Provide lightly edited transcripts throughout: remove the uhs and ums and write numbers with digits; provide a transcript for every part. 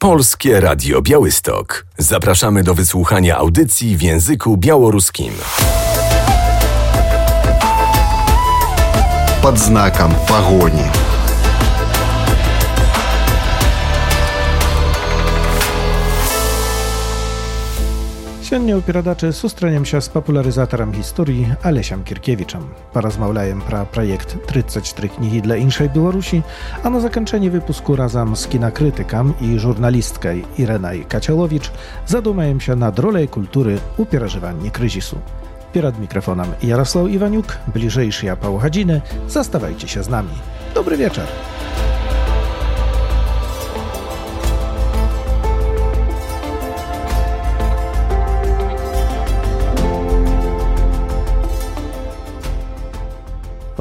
Polskie Radio Białystok. Zapraszamy do wysłuchania audycji w języku białoruskim. Под знаком погони. Сёння ў перадачы сустрэнемся з папулярызатарам гісторыі Алесем Кіркевічам. Паразмаўляем пра праект 34 кнігі для іншай Беларусі, а на заканчэнні выпуску разам з кінакрытыкам і журналісткай Ірэнай Кацяловіч задумаемся над роляй культуры ў перажыванні крызісу. Перад мікрафонам Ярослаў Іванюк, бліжэйшыя паўгадзіны, заставайцеся з намі. Добры вечар!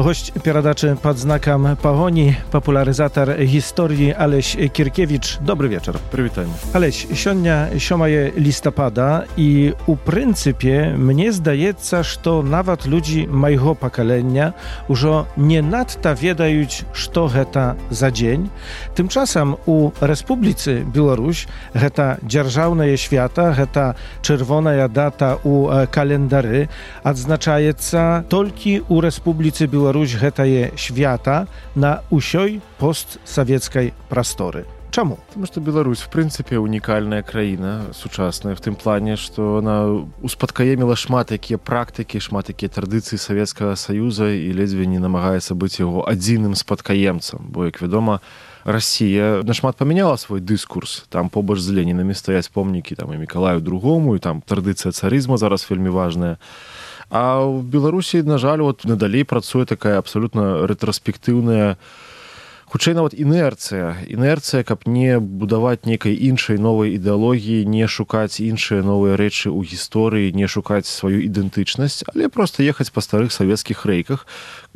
Gość перадачы пад знакам пагоні, папулярызатар гісторыі Алесь Кіркевіч. Добры вечар. Прывітанне. Алесь, сёння 7 лістапада і у прынцыпе мне здаецца, што нават людзі майго пакалення ўжо не надта ведаюць, што гэта за дзень. Тымчасам у Рэспубліцы Беларусь гэта дзяржаўнае свята, гэта чырвоная дата ў календары, адзначаецца толькі у Рэспубліцы Беларусь гэтае свята на ўсёй постсавецкай прасторы. Чаму? Потому что Беларусь, в принципе, уникальная краіна, сучасная, в тым плане, што она успадкаеміла шмат якія практыкі, шмат якія традыцыі Савецкага Саюза і ледзьве не намагаецца быць яго адзіным спадкаемцам. Бо, як вядома, Расія нашмат памяняла свой дыскурс. Там побач з Ленінамі стаяць помнікі там, і Мікалаю II, і там традыцыя царызма зараз вельмі важная. А в Беларусі, на жаль, надалей працуе такая абсалютна рэтраспектыўная, хутчэй нават інерцыя, каб не будаваць нейкай іншай новай ідэалогіі, не шукаць іншыя новыя рэчы ў гісторыі, не шукаць сваю ідэнтычнасць, але проста ехаць па старых савецкіх рэйках.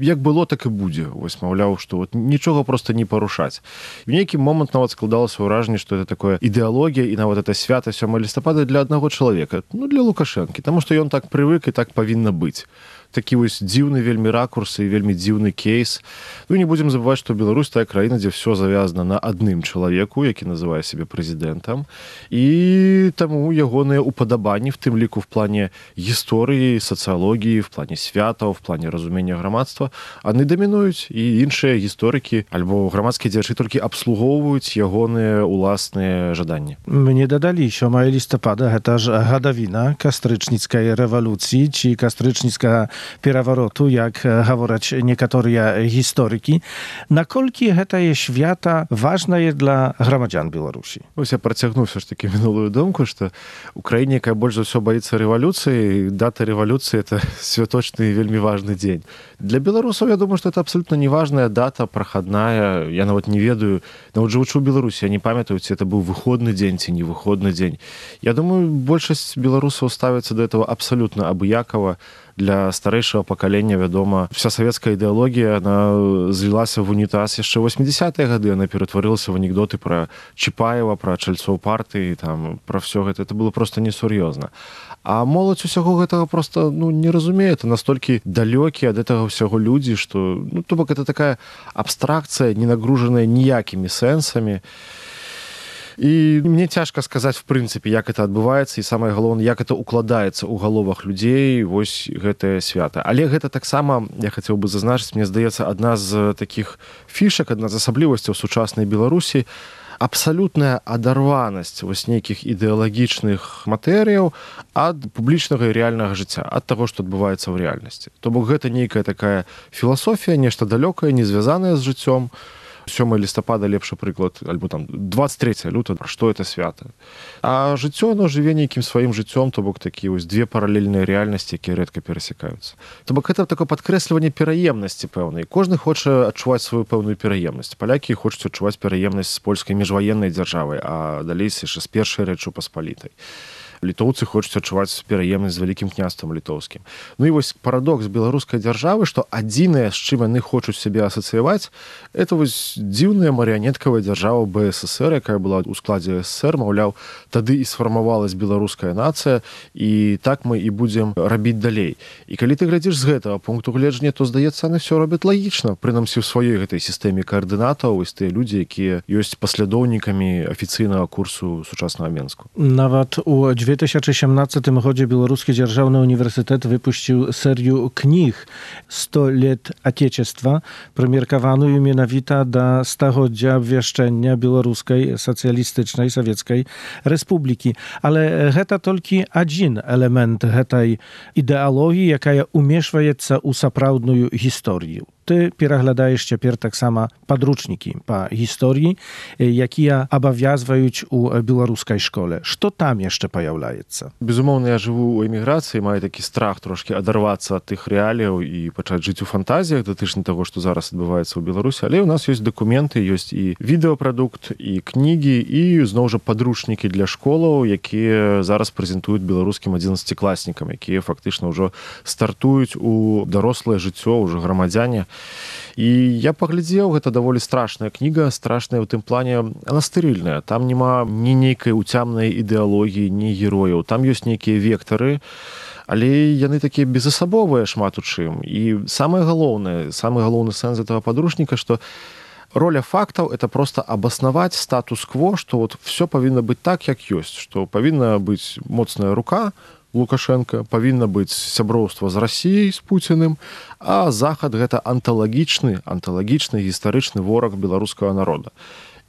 Як было, так і будзе. Вось, маўляў, што нічога проста не парушаць. В нейкі момант нават складалася ўражанне, што это такое ідэалогія і нават это свята 7 лістапада для аднаго чалавека, для Лукашэнкі, таму што ён так прывык і так павінна быць. Такі вось дзіўны вельмі ракурс і вельмі дзіўны кейс. Не будзем забываць, што Беларусь тая краіна, дзе ўсё завязана на адным чалавеку, які называе сябе прэзідэнтам, і таму ягоныя упадабанні, в тым ліку в плане гісторыі, сацыялогіі, в плане святаў, в плане разумення грамадства, яны дамінуюць, і іншыя гісторыкі альбо грамадскія дзеячы толькі абслугоўваюць ягоныя уласныя жаданні. Мне дадалі 7 лістапада, гэта ж гадавіна кастрычніцкай рэвалюцыі ці кастрычніцкага перавароту, як гавораць некаторыя гісторыкі. Наколькі гэтае свята важнае для грамадзян Беларусі? Вось я працягну все ж таки мінулую думку, што у краіне, якая больш за ўсё баіцца рэвалюцыі, дата рэвалюцыі — это святочны і вельмі важны дзень. Для беларусаў, я думаю, што это абсолютно неважная дата, прахадная. Я нават не ведаю, нават жывучы ў Беларусі, я не памятаю, ці это быў выходны дзень ці не выходны дзень. Я думаю, большасць беларусаў ставіцца да этого абсолютно абыякава. Для старэйшага пакалення, вядома, вся савецкая ідэалогія, она злілася в унітаз яшчэ 80-е гады, она ператварылася в анекдоты пра Чапаева, пра чальцоў партыі, там, пра ўсё гэта. Это было просто несур'ёзна. А моладзь усяго гэтага просто не разумее. Это настолькі далёкія ад гэтага ўсяго людзі, што, то бок, это такая абстракцыя, не нагружаная ніякімі сэнсамі. І мне цяжка сказаць, в прынцыпе, як это адбываецца, і самае галоўнае, як это укладаецца ў галовах людзей, вось гэтае свята. Але гэта таксама, я хацеў бы зазначыць, мне здаецца, адна з такіх фішак, адна з асаблівасцяў сучаснай Беларусі, абсалютная адарванасць вось нейкіх ідэалагічных матэрыяў ад публічнага і рэальнага жыцця, ад таго, што адбываецца ў рэальнасці. То бок гэта нейкая такая філасофія, нешта далёкае, не звязанае з жыццём. 7 лістапада лепшы прыклад, альбо там 23 лютага, пра што это свята. А жыццё, оно жыве нейкім сваім жыццём, то бок такія вось две паралельныя рэальнасці, якія рэдка перасякаюцца. То бок гэта такое падкрэсліванне пераемнасці пэўнай. Кожны хоча адчуваць сваю пэўную пераемнасць. Палякі хочуць адчуваць пераемнасць з польскай міжваеннай дзяржавай, а далей яшчэ з першай Рэчы Паспалітай. літоўцы хочуць адчуваць пераемнасць з вялікім княствам літоўскім. Ну і вось парадокс беларускай дзяржавы, што адзінае, з чым яны хочуць сябе асацыяваць, это вось дзіўная марыянеткавая дзяржава БССР, якая была ў складзе СССР, маўляў, тады і сфармавалась беларуская нацыя, і так мы і будзем рабіць далей. І калі ты глядзіш з гэтага пункту гледжання, то, здаецца, яны все робяць лагічна, прынамсі ў сваёй гэтай сістэме каардынатаў, вось тыя людзі, якія ёсць паслядоўнікамі афіцыйнага курсу сучаснага Менску. Nawet u 2017 годзе Белорусский Дзяржаўны універсітэт выпусціў серію кніг «100 лет Отечества», прымеркаваную менавіта да стагоддзя абвяшчэння Беларускай сацыялістычнай савецкай рэспублікі. Але гэта толькі адзін элемент гэтай ідэалогіі, якая умешваецца ў сапраўдную гісторыю. Ty пераглядаеш цяпер таксама падручнікі па гісторыі, якія абавязваюць у беларускай школе. Што там яшчэ паяўляецца? Безумоўна, я жыву ў эміграцыі, маю такі страх трошкі адарвацца ад тых рэаліяў і пачаць жыць у фантазіях датычна таго, што зараз адбываецца ў Беларусі. Але ў нас ёсць дакументы, ёсць і відэапрадукт, і кнігі, і зноў жа падручнікі для школаў, якія зараз прэзентуюць беларускім 11-класнікам, якія фактычна ўжо стартуюць у дарослае жыццё, ўжо грамадзяне. І я паглядзеў, гэта даволі страшная кніга, страшная ў тым плане, она стэрыльная. Там няма ні нейкай уцямнай ідэалогіі, ні герояў. Там ёсць нейкія вектары, але яны такія безасабовыя шмат у чым. І самы галоўны сэнс гэтага падручніка, што роля фактаў – это просто абаснаваць статус-кво, што вот все павінна быць так, як ёсць, што павінна быць моцная рука Лукашенко, павінна быць сяброўства з Расіяй, з Пуціным, а Захад – гэта анталагічны гістарычны вораг беларускага народа.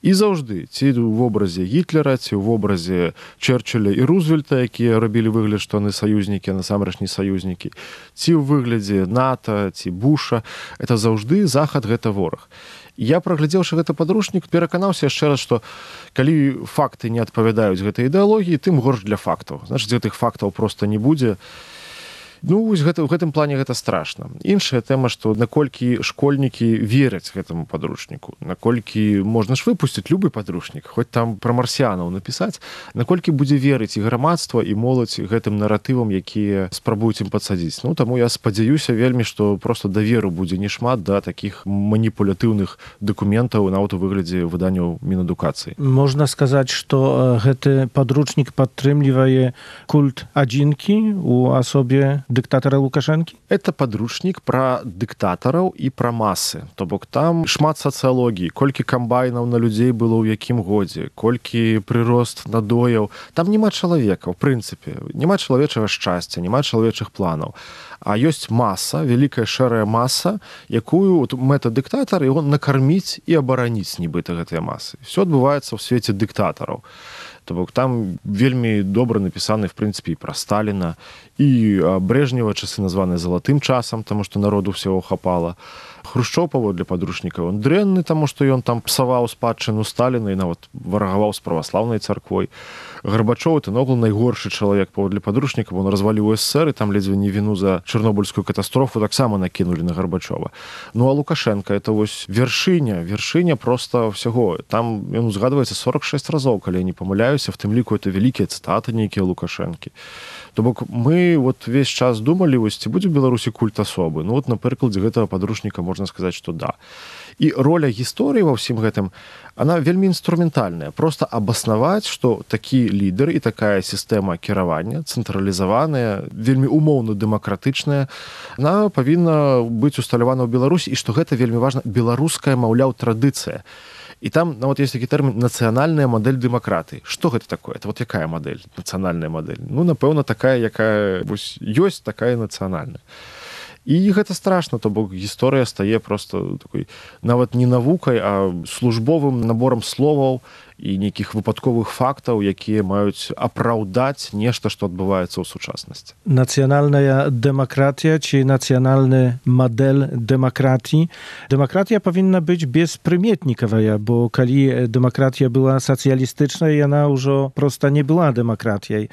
І заўжды, ці ў вобразе Гітлера, ці ў вобразе Чэрчылля і Рузвельта, якія рабілі выгляд, што яны саюзнікі, а насамрэч не саюзнікі, ці ў выглядзе НАТО, ці Буша, это заўжды Захад – гэта вораг. Я, праглядзеўшы гэты падручнік, пераканаўся яшчэ раз, што калі факты не адпавядаюць гэтай ідэалогіі, тым горш для фактаў. Значыць, гэтых фактаў проста не будзе. Ну, у гэтым плане гэта страшна. Іншая тэма, што наколькі школьнікі вераць гэтаму падручніку, наколькі можна ж выпусціць любы падручнік, хоць там пра марсіянаў напісаць, наколькі будзе верыць і грамадства, і моладзь гэтым наратывам, якія спрабуюць ім падсадзіць. Ну, таму я спадзяюся вельмі, што проста даверу будзе не шмат да такіх маніпулятыўных дакументаў, нават у выглядзе выданняў Мінадукацыі. Можна сказаць, што гэты падручнік падтрымлівае культ адзінкі ў асобе дыктатара Лукашэнкі? Это падручнік пра дыктатараў і пра масы. То бок там шмат сацыялогіі, колькі камбайнаў на людзей было ў якім годзе, колькі прырост надояў. Там няма чалавека, ў прынцыпе. Няма чалавечага шчасця, няма чалавечых планаў. А ёсць маса, вялікая шэрая маса, якую мэта дыктатар, і он накарміць і абараніць нібыта гэтыя масы. Всё адбываецца ў свеце дыктатараў. То бок там вельмі добра напісаны, в прынцыпе, і пра Сталіна, і Брежнева часы названы залатым часам, таму што народу ўсяго хапала. Хрушчоў паводле падручніка, ён дрэнны, таму што ён там псаваў спадчыну Сталіна і нават варагаваў з праваслаўнай царквой. Гарбачоў – это наогул найгоршы чалавек паводле падручніка, он разваліў СССР, і там ледзьве не віну за чарнобыльскую катастрофу таксама накінулі на Гарбачова. Ну а Лукашенко – это вось вершыня проста ўсяго. Там ён узгадваецца 46 разоў, калі я не памыляюся, в тым ліку это вялікія цытаты нейкія Лукашэнкі. То бок мы вот весь час думалі, вось ці будзе ў Беларусі культ асобы. Ну вот на прыкладзе гэтага падручніка можна сказаць, што да. І роля гісторыі ва ўсім гэтым, она вельмі інструментальная. Проста абаснаваць, што такі лідар і такая сістэма кіравання, цэнтралізаваная, вельмі умоўна дэмакратычная, она павінна быць усталявана ў Беларусі, і што гэта вельмі важна, беларуская, маўляў, традыцыя. І там нават ёсць такі тэрмін «нацыянальная мадэль дэмакратыі». Што гэта такое? Это вот якая мадэль? Нацыянальная мадэль. Ну, напэўна, такая, якая вось ёсць, такая нацыянальная. І гэта страшна, то бок гісторыя стае проста такой нават не навукай, а службовым наборам словаў і нейкіх выпадковых фактаў, якія маюць апраўдаць нешта, што адбываецца ў сучаснасці. Нацыянальная дэмакратія ці нацыянальны мадэль дэмакратіі. Дэмакратія павінна быць беспрыметнікавая, бо калі дэмакратія была сацыялістычнай, яна ўжо проста не была дэмакратіяй.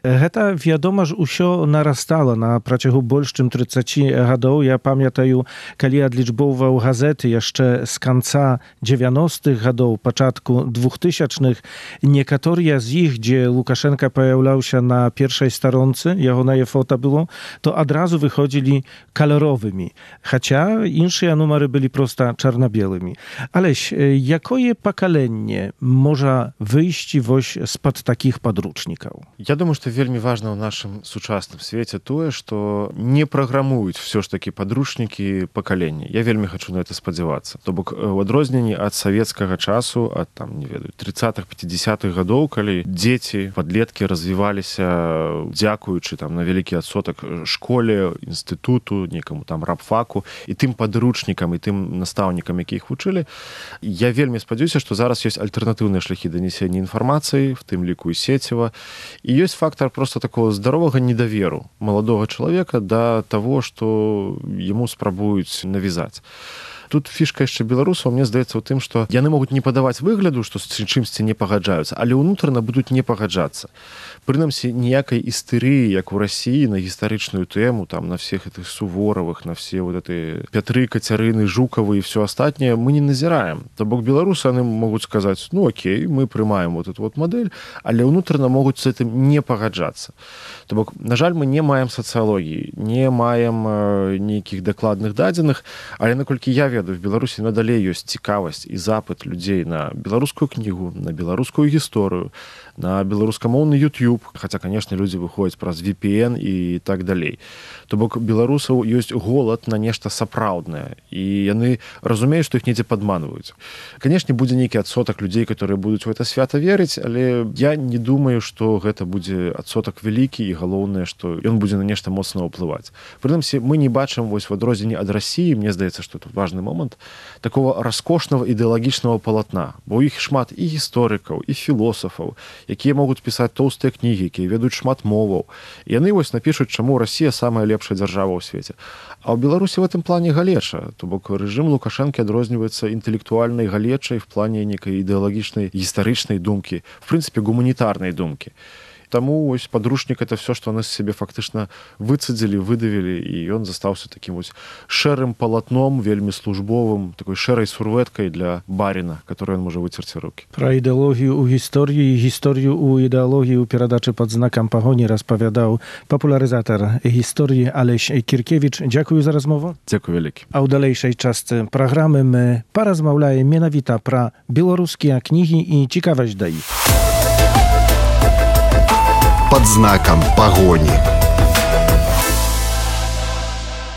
Гэта, вядома ж, усё нарастала на працягу больш чым 30 гадоў. Я памятаю, калі адлічбоўваў газеты яшчэ з канца 90-х гадоў, пачатку 2000 2000-х. Niektóre z nich, gdzie Łukaszenka pojawiał się na pierwszej stronce, jego na foto było, to od razu wychodzili kolorowymi. Chociaż inne numery byli prosto czarno-białymi. Aleś, jakie pokolenie może wyjść spod takich podrучников? Я думаю, што вельмі важна ў нашым сучасным свеце тое, што не праграмуюць все ж такі падручнікі пакалення. Я вельмі хачу на это спадзявацца. То бок у адрозненні ад савецкага часу, ад там, не ведаю, 30-х, 50-х гадоў, калі дзеці, падлеткі развіваліся дзякуючы там на вялікі адсотак школе, інстытуту, некаму там рабфаку і тым падручнікам і тым настаўнікам, які іх вучылі, я вельмі спадзяюся, што зараз ёсць альтэрнатыўныя шляхі данесення інфармацыі, в тым ліку і сецева. І ёсць фактор просто такого здаровага недаверу маладога чалавека да таго, што яму спрабуюць навязаць. Тут фішка яшчэ беларусаў, мне здаецца ў тым, што яны могуць не падаваць выгляду, што з чымсьці не пагаджаюцца, але ўнутрана будуць не пагаджацца. Прынамсі, ніякай істэрыі, як у Расіі, на гістарычную тэму, там, на всех этих Суворовых, на все вот эти Пятры, Кацярыны, Жукавы і все астатняе мы не назіраем. То бок беларусы, яны могуць сказаць, ну окей, мы прымаем вот эту вот мадэль, але ўнутрана могуць з гэтым не пагаджацца. То бок, на жаль, мы не маем сацыялогіі, не маем нейкіх дакладных дадзеных, але наколькі я ведаю, в Беларусі надалей ёсць цікавасць і запыт людзей на беларускую кнігу, на беларускую гісторыю, на беларускамоўны YouTube, хаця, канешне, людзі выходзяць праз VPN і так далей. То бок беларусаў ёсць голад на нешта сапраўднае, і яны разумеюць, што іх недзе падманваюць. Канешне, будзе нейкі адсотак людзей, которые будуць у гэта свята верыць, але я не думаю, што гэта будзе адсотак вялікі, і галоўнае, што ён будзе на нешта моцна ўплываць. Прынамсі, мы не бачым вось в адрозненні ад Расіі, мне здаецца, што тут важны момант, такого раскошнага ідэалагічнага палатна, бо ў іх шмат і гісторыкаў, і філосафаў, якія могуць пісаць тоўстыя кнігі, якія ведаюць шмат моваў. І яны вось напішуць, чаму Расія самая лепшая дзяржава ў свеце. А ў Беларусі в этом плане галеча. То бок рэжым Лукашэнкі адрозніваецца інтэлектуальнай галечай в плане некай ідэалагічнай гістарычнай думкі, в прынцыпе, гуманітарнай думкі. Таму ось падручнік это все, што яны з сябе фактычна выцадзілі, выдавілі, і ён застаўся такім вось шэрым палатном, вельмі службовым, такой шэрай сурвэткай для баріна, которой ён можа выцерці рукі. Пра ідэалогію ў гісторыі і гісторыю ў ідэалогіі ў перадачы пад знакам пагоні распавядаў папулярызатар гісторыі Алесь Кіркевіч. Дзякую за размову. Дзякую вялікі. А ў далейшай частцы праграмы мы паразмаўляем менавіта пра беларускія кнігі і цікавасць да іх. Под знаком погони.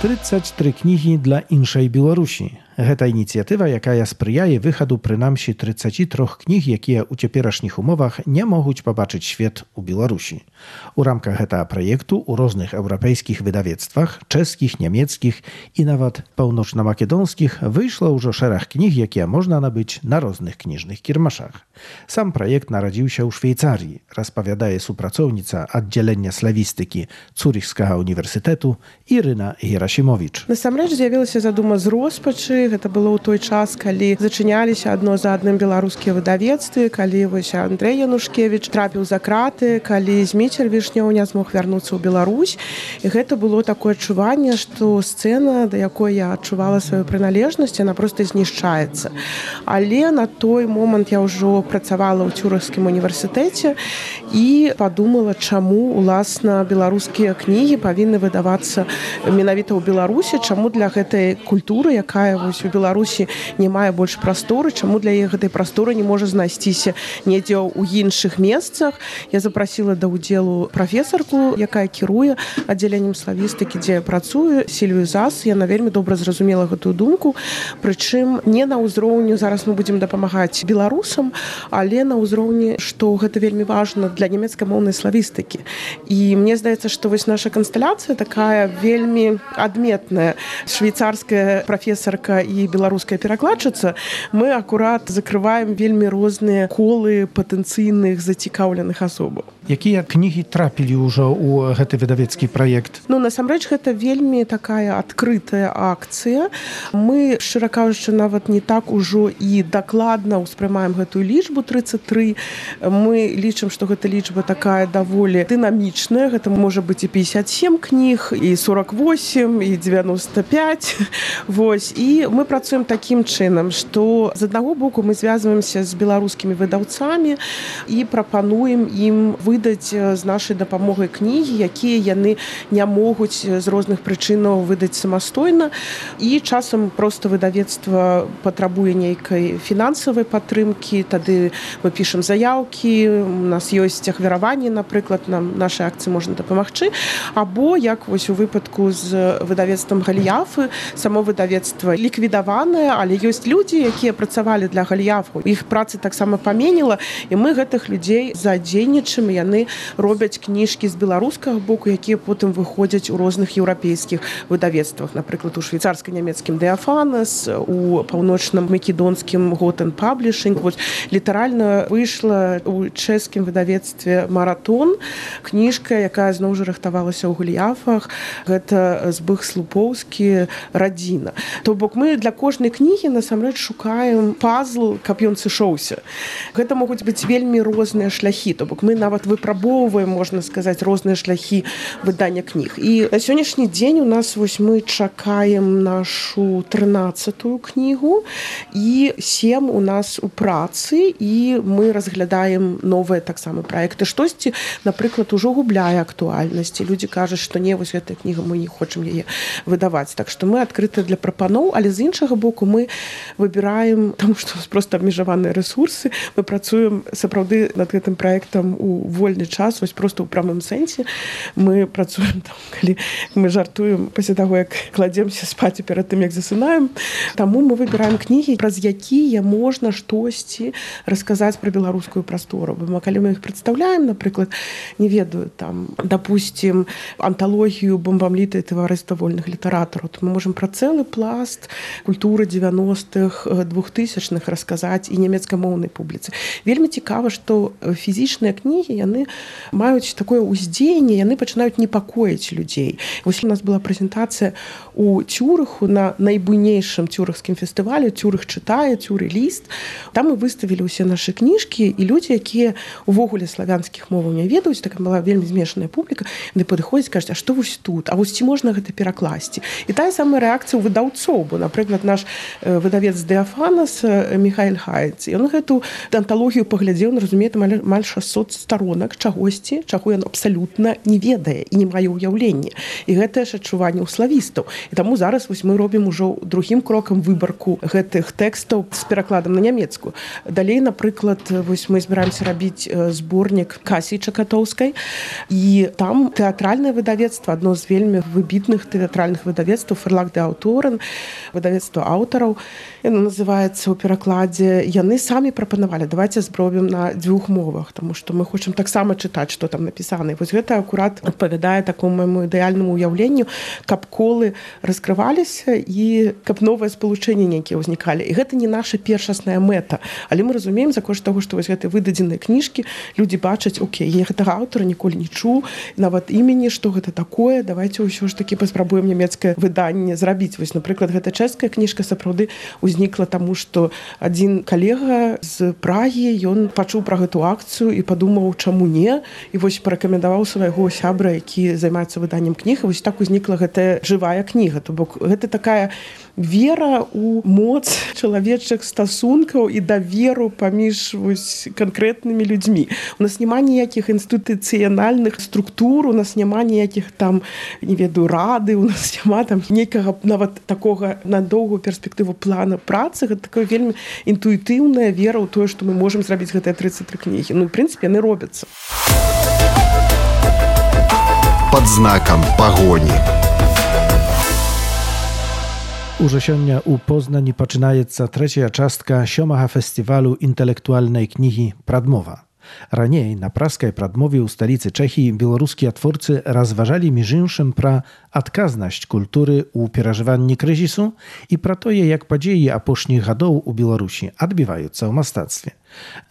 33 кнігі для іншай Беларусі. Гэта ініцыятыва, якая спрыяе выхаду прынамсі 33 кніг, якія ў цяперашніх умовах не могуць пабачыць свет у Беларусі. У рамках гэтага праекту ў розных еўрапейскіх выдавецтвах, чэшскіх, нямецкіх і нават паўночна-македонскіх выйшла ўжо шэраг кніг, якія можна набыць на розных кніжных кірмашах. Сам праект нарадзіўся ў Швейцарыі, распавядае супрацоўніца аддзялення славістыкі Цурихскага універсітэту Ірына Герасімовіч. Насамрэч з'явілася задума з роспачы. Гэта было ў той час, калі зачыняліся адно за адным беларускія выдавецтвы, калі вось Андрэй Янушкевіч трапіў за краты, калі Зміцер Вішнёў не змог вярнуцца ў Беларусь. І гэта было такое адчуванне, што сцэна, да якой я адчувала сваю прыналежнасць, яна проста знішчаецца. Але на той момант я ўжо працавала ў Цюрыхскім універсітэце і падумала, чаму, уласна, беларускія кнігі павінны выдавацца менавіта ў Беларусі, чаму для гэтай культуры, якая вось у Беларусі не мае больш прасторы, чаму для іх гэтай прасторы не можа знайсціся недзе ў іншых месцах. Я запрасіла да ўдзелу прафесарку, якая кіруе аддзяленнем славістыкі, дзе я працую, Сільвію Зас. Яна вельмі добра зразумела гэтую думку, прычым не на ўзроўні, зараз мы будзем дапамагаць беларусам, але на ўзроўні, што гэта вельмі важна для нямецкамоўнай славістыкі. І мне здаецца, што вось наша кансталяцыя такая вельмі адметная. Швейцарская прафесарка і беларуская перакладчыца, мы акурат закрываем вельмі розныя колы патэнцыйных зацікаўленых асобаў. Якія кнігі трапілі ўжо ў гэты выдавецкі праект? Ну, насамрэч, гэта вельмі такая адкрытая акцыя. Мы, шчыра кажучы, нават не так ужо і дакладна ўспрымаем гэтую лічбу 33. Мы лічым, што гэта лічба такая даволі дынамічная. Гэта можа быць і 57 кніг, і 48, і 95. Вось. І Мы працуем такім чынам, што з аднаго боку мы звязваемся з беларускімі выдаўцамі і прапануем ім выдаць з нашай дапамогай кнігі, якія яны не могуць з розных прычынаў выдаць самастойна. І часам проста выдавецтва патрабуе нейкай фінансавай падтрымкі, тады мы пішам заяўкі, у нас ёсць ахвяраванні, напрыклад, нам нашай акцыі можна дапамагчы, або як вось у выпадку з выдавецтвам Галіяфы, само выдавецтва ліквідаванае, але ёсць людзі, якія працавалі для Галіяфу. Іх працы таксама паменіла, і мы гэтых людзей задзейнічаем, яны робяць кніжкі з беларускага боку, якія потым выходзяць у розных еўрапейскіх выдавецтвах, напрыклад, у швейцарска-нямецкім Деафанас, у паўночным македонскім Готен Паблішинг. Вось літаральна выйшла у чэшскім выдавецтве Маратон кніжка, якая зноў жа рыхтавалася ў Галіяфах. Гэта Збых Слупоўскі «Радзіна». То бок мы для кожнай кнігі насамрэч шукаем пазл, каб ён сышоўся. Гэта могуць быць вельмі розныя шляхі. То бок мы нават выпрабоўваем, можна сказаць, розныя шляхі выдання кніг. І на сённяшні дзень у нас вось мы чакаем нашу 13-ю кнігу і 7 у нас у працы, і мы разглядаем новыя таксама праекты. Штосьці, напрыклад, ужо губляе актуальнасці. Людзі кажуць, што не, вось гэтая кніга, мы не хочам яе выдаваць. Так што мы адкрыты для прапаноў, але з іншага боку мы выбіраем, таму што у нас проста абмежаваныя рэсурсы, мы працуем сапраўды над гэтым праектам у вольны час, вось проста ў прамым сэнсе. Мы працуем там, калі мы жартуем пасля таго, як кладземся спаць перад тым, як засынаем. Таму мы выбіраем кнігі, праз якія можна штосьці расказаць пра беларускую прастору. Бо калі мы іх прадстаўляем, напрыклад, не ведаю, там, допустим, анталогію бомбамлітай таварыства вольных літаратараў, то мы можам пра цэлы пласт культуры 90-х, 2000-х расказаць і нямецкамоўнай публіцы. Вельмі цікава, што фізічныя кнігі, яны маюць такое ўздзеянне, яны пачынаюць непакоіць людзей. Вось у нас была прэзентацыя у Цюрыху на найбуйнейшым цюрыхскім фестывалі «Цюрых чытае», «Цюры ліст». Там мы выставілі ўсе нашы кніжкі, і людзі, якія увогуле славянскіх моваў не ведаюць, такая была вельмі змешаная публіка, яны падыходзяць, кажуць, а што вось тут? А вось ці можна гэта перакласці? І тая самая рэакцыя ў выдаўцоў, бо, напрыклад, наш выдавец Деафанас Михаэль Хайц, ён гэту анталогію паглядзеў, он разумее, там амаль 600 сторонак чагосьці, чаго ён абсалютна не ведае і не мае ўяўлення. І гэтае ж адчуванне ў славістаў. І таму зараз вось мы робім ужо другім крокам выбарку гэтых тэкстаў з перакладам на нямецкую. Далей, напрыклад, вось мы збіраемся рабіць зборнік Касі Чакатоўскай, і там тэатральнае выдавецтва, адно з вельмі выбітных тэатральных выдавецтваў, Ферлаг де Аўторен, выдавецтва аўтараў, яно называецца ў перакладзе. Яны самі прапанавалі, давайте зробім на 2 мовах, таму што мы хочам таксама чытаць, што там напісана. І вось гэта акурат адпавядае такому майму ідэальнаму ўяўленню, каб колы раскрываліся і каб новыя спалучэнні нейкія ўзнікалі. І гэта не наша першасная мэта, але мы разумеем, за кошт таго, што вось гэтыя выдадзеныя кніжкі, людзі бачаць, окей, я гэтага аўтара ніколі не чуў, нават імені, што гэта такое, давайте ўсё ж такі паспрабуем нямецкае выданне зрабіць. Вось, напрыклад, гэта чэшская кніжка сапраўды ўзнікла таму, што адзін калега з Прагі, ён пачуў пра гэту акцыю і падумаў, чаму не, і вось парэкамендаваў свайго сябра, які займаецца выданнем кніг, і вось так узнікла гэтая жывая кніга. То бок гэта такая вера ў моц чалавечых стасункаў і даверу паміж вось канкрэтнымі людзьмі. У нас няма ніякіх інстытуцыянальных структур, у нас няма ніякіх там, не ведаю, рады, у нас няма там нейкага нават такога на доўгую перспектыву плана працы. Гэта такая вельмі інтуітыўная вера ў тое, што мы можам зрабіць гэтыя 33 кнігі. Ну, в прынцыпе, яны робяцца. Пад знакам пагоні. Уже сёння ў Познані пачынаецца 3-я частка 7-га фестывалю інтэлектуальнай кнігі «Прадмова». Раней на праскай прадмове ў сталіцы Чэхіі беларускія творцы разважалі між іншым пра адказнасць культуры ў перажыванні крызісу і пра тое, як падзеі апошніх гадоў у Беларусі адбіваюцца ў мастацтве.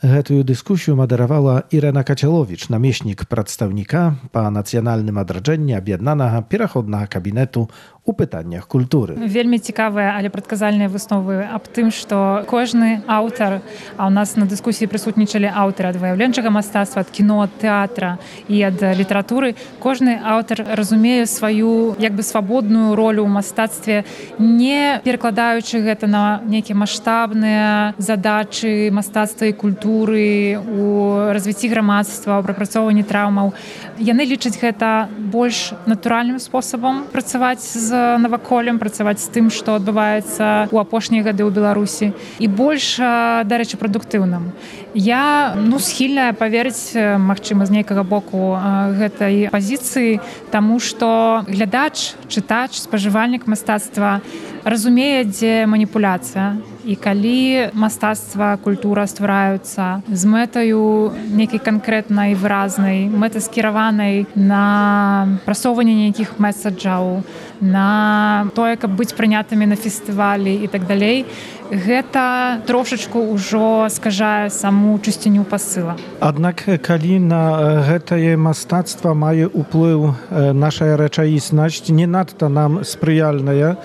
Гэтую дыскусію мадэравала Ірына Кацяловіч, намеснік прадстаўніка па нацыянальным адраджэнні аб'яднанага пераходнага кабінету у пытаннях культуры. Вельмі цікавыя, але прадказальныя высновы аб тым, што кожны аўтар, а ў нас на дыскусіі прысутнічалі аўтары ад выяўленчага мастацтва, ад кіно, ад тэатра і ад літаратуры, кожны аўтар разумее сваю як бы свабодную ролю ў мастацтве, не перакладаючы гэта на нейкія маштабныя задачы мастацтва і культуры, у развіцці грамадства, у прапрацоўванні траўмаў. Яны лічаць гэта больш натуральным спосабам працаваць з наваколлем, працаваць з тым, што адбываецца ў апошнія гады ў Беларусі, і больш, дарэчы, прадуктыўным. Я схільная паверыць, магчыма, з нейкага боку гэтай пазіцыі, таму што глядач, чытач, спажывальнік мастацтва разумее, дзе маніпуляцыя. І калі мастацтва, культура ствараюцца з мэтаю нейкай канкрэтнай, выразнай, мэтаскіраванай на прасоўванне нейкіх месаджаў, на тое, каб быць прынятымі на фестывалі і так далей, гэта трошачку ўжо скажае саму чысціню пасыла. Аднак, калі на гэтае мастацтва мае ўплыў наша рэчаіснасць, не надта нам спрыяльная,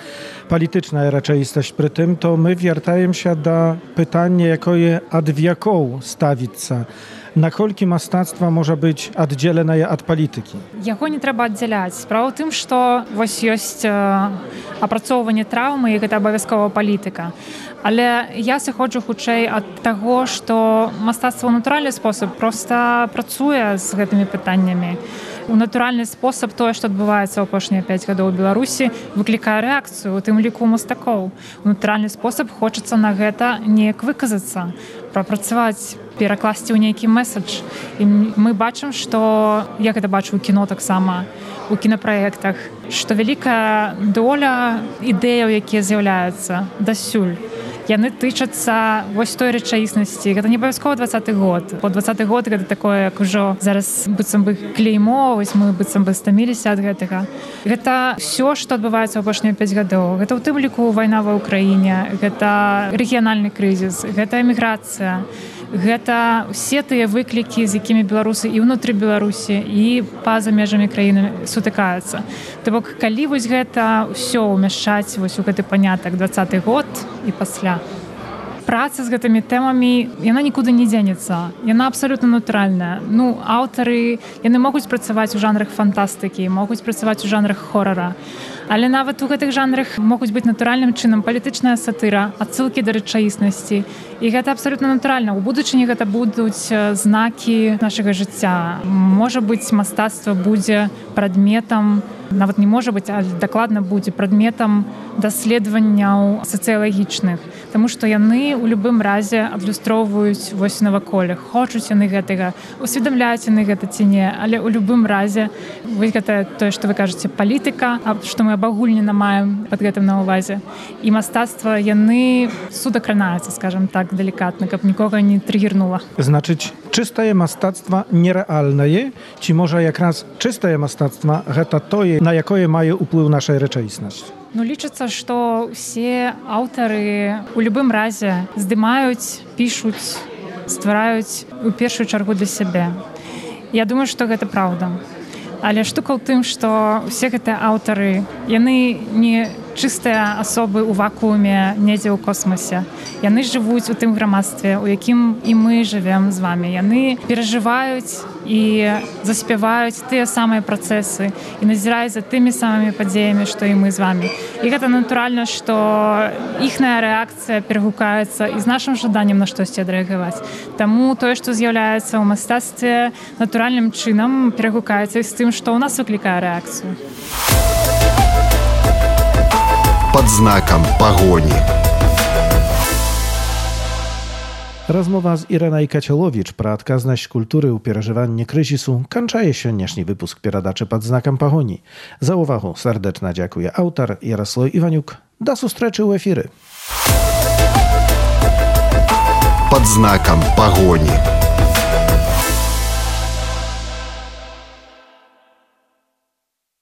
палітычная рэчаіснасць пры тым, то мы вяртаемся да пытання, якое ад вякоў ставіцца. Наколькі мастацтва можа быць аддзеленае ад палітыкі? Яго не трэба аддзяляць. Справа ў тым, што вось ёсць апрацоўванне траўмы, і гэта абавязкова палітыка. Але я сыходжу хутчэй ад таго, што мастацтва ў натуральны спосаб проста працуе з гэтымі пытаннямі. У натуральны спосаб тое, што адбываецца ў апошнія 5 гадоў у Беларусі, выклікае рэакцыю, у тым ліку мастакоў. У натуральны спосаб хочацца на гэта неяк выказацца, прапрацаваць, перакласці ў нейкі месадж. І мы бачым, што, я гэта бачу ў кіно таксама, у кінапраектах, што вялікая доля ідэяў, якія з'яўляюцца дасюль, яны тычацца вось той рэчаіснасці. Гэта не абавязкова 20-й год. Бо 20-й год гэта такое, як ужо зараз быццам бы клеймо, вось мы быццам бы стаміліся ад гэтага. Гэта ўсё, што адбываецца ў апошнія 5 гадоў. Гэта ў тым ліку вайна ва ўкраіне, гэта рэгіянальны крызіс, гэта эміграцыя. Гэта ўсе тыя выклікі, з якімі беларусы і ўнутры Беларусі, і па-за межамі краіны сутыкаюцца. То бок, калі вось гэта ўсё ўмяшчаць вось у гэты панятак 20-й год і пасля, праца з гэтымі тэмамі, яна нікуды не дзенецца. Яна абсалютна натуральная. Аўтары, яны могуць працаваць у жанрах фантастыкі, могуць працаваць у жанрах хорара. Але нават у гэтых жанрах могуць быць натуральным чынам палітычная сатыра, адсылкі да рэчаіснасці. І гэта абсалютна натуральна. У будучыні гэта будуць знакі нашага жыцця. Можа быць, мастацтва будзе прадметам, нават не можа быць, але дакладна будзе прадметам даследаванняў сацыялагічных. Таму што яны ў любым разе адлюстроўваюць вось наваколле. Хочуць яны гэтага, усведамляюць яны гэта ці не, але ў любым разе вось гэта тое, што вы кажаце, палітыка, што мы абагульнена маем пад гэтым на ўвазе. І мастацтва, яны судакранаюцца, скажам так, далікатна, каб нікога не трыгернула. Значыць, чыстае мастацтва нерэальнае, ці можа якраз чыстае мастацтва гэта тое, на якое мае ўплыў нашая рэчаіснасць? Лічыцца, што ўсе аўтары у любым разе здымаюць, пішуць, ствараюць у першую чаргу для сябе. Я думаю, што гэта праўда. Але штука ў тым, што ўсе гэтыя аўтары, яны не чыстыя асобы ў вакууме недзе ў космосе. Яны жывуць у тым грамадстве, у якім і мы жывем з вамі. Яны перажываюць і заспяваюць тыя самыя працэсы і назіраюць за тымі самымі падзеямі, што і мы з вамі. І гэта натуральна, што іхная рэакцыя перагукаецца і з нашым жаданнем на штосьці адрэагаваць. Таму тое, што з'яўляецца ў мастацтве, натуральным чынам перагукаецца і з тым, што ў нас выклікае рэакцыю. Под знаком погони. Rozmowa z Ireną Kaczelowicz про адказнасць культуры ў перажыванні крызісу канчае сённяшні выпуск перадачы пад знакам пагоні. За увагу сардэчна дзякуе аўтар Ярослав Іванюк. Да сустрэчы ў эфіры. Под знаком погони.